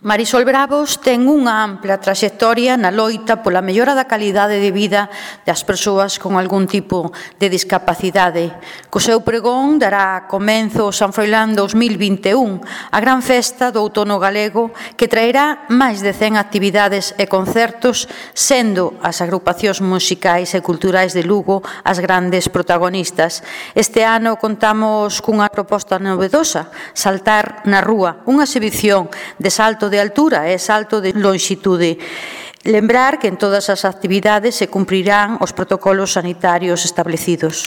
Marisol Bravos ten unha ampla traxectoria na loita pola mellora da calidade de vida das persoas con algún tipo de discapacidade. Co seu pregón dará comenzo o San Froilán 2021, a gran festa do outono galego que traerá máis de 100 actividades e concertos, sendo as agrupacións musicais e culturais de Lugo as grandes protagonistas. Este ano contamos cunha proposta novedosa, Saltar na Rúa, unha exhibición de salto de altura e salto de lonxitude. Lembrar que en todas as actividades se cumprirán os protocolos sanitarios establecidos.